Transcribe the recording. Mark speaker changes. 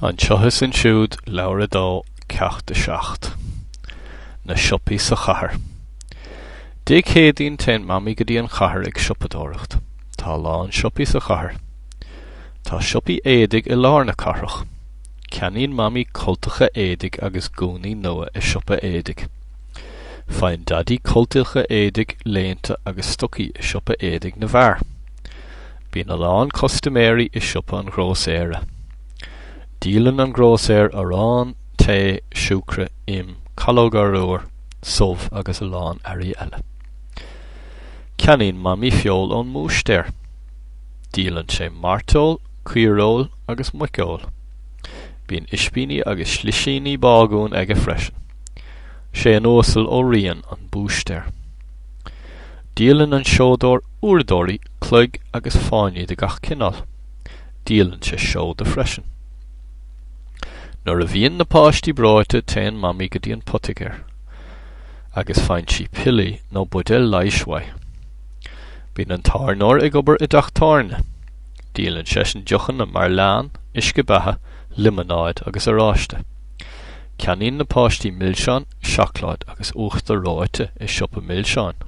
Speaker 1: Anseo is Ansiúd, Leabhar 2, Ceacht 7. Na siopaí sa chathair. Dé Céadaoin téann Mamaí go dtí an chathair ag siopadóireacht. Tá a lán siopaí sa chathair. Tá siopaí éadaigh i lár na cathrach. Ceannaíonn Mamaí cultacha éadaigh agus gúnaí nua i siopa éadaigh. Faigheann Daidí cultacha éadaigh, léinte agus stocaí i siopa éadaigh na bhfear. Bíonn a lán custaiméirí i siopa an ghrósaera. Díolann an grósaer arán, tae, siúcra, im, calóga arbhair, subh agus a lán earraí eile. Ceannaíonn Mamaí feoil ón mbúistéir. Díolann sé mairteoil, caoireoil agus muiceoil. Bíonn ispíní agus slisíní bágúin aige freisin. Sé an Uasal Ó Riain an búistéir. Díolann an seodóir uaireadóirí, cloig agus fáinní de gach cineál. Díolann sé seoda freisin. Nuair a bhíonn na páistí breoite téann Mamaí go dtí an poitigéir agus faigheann sí piollaí nó buidéal leighis uaidh. Bíonn an tábhairneoir ag obair i dteach tábhairne. Díolann seisean deochanna mar leann, uisce beatha, liomanáid agus oráiste. Ceannaíonn na páistí milseáin, seacláid agus uachtar reoite i siopa milseáin.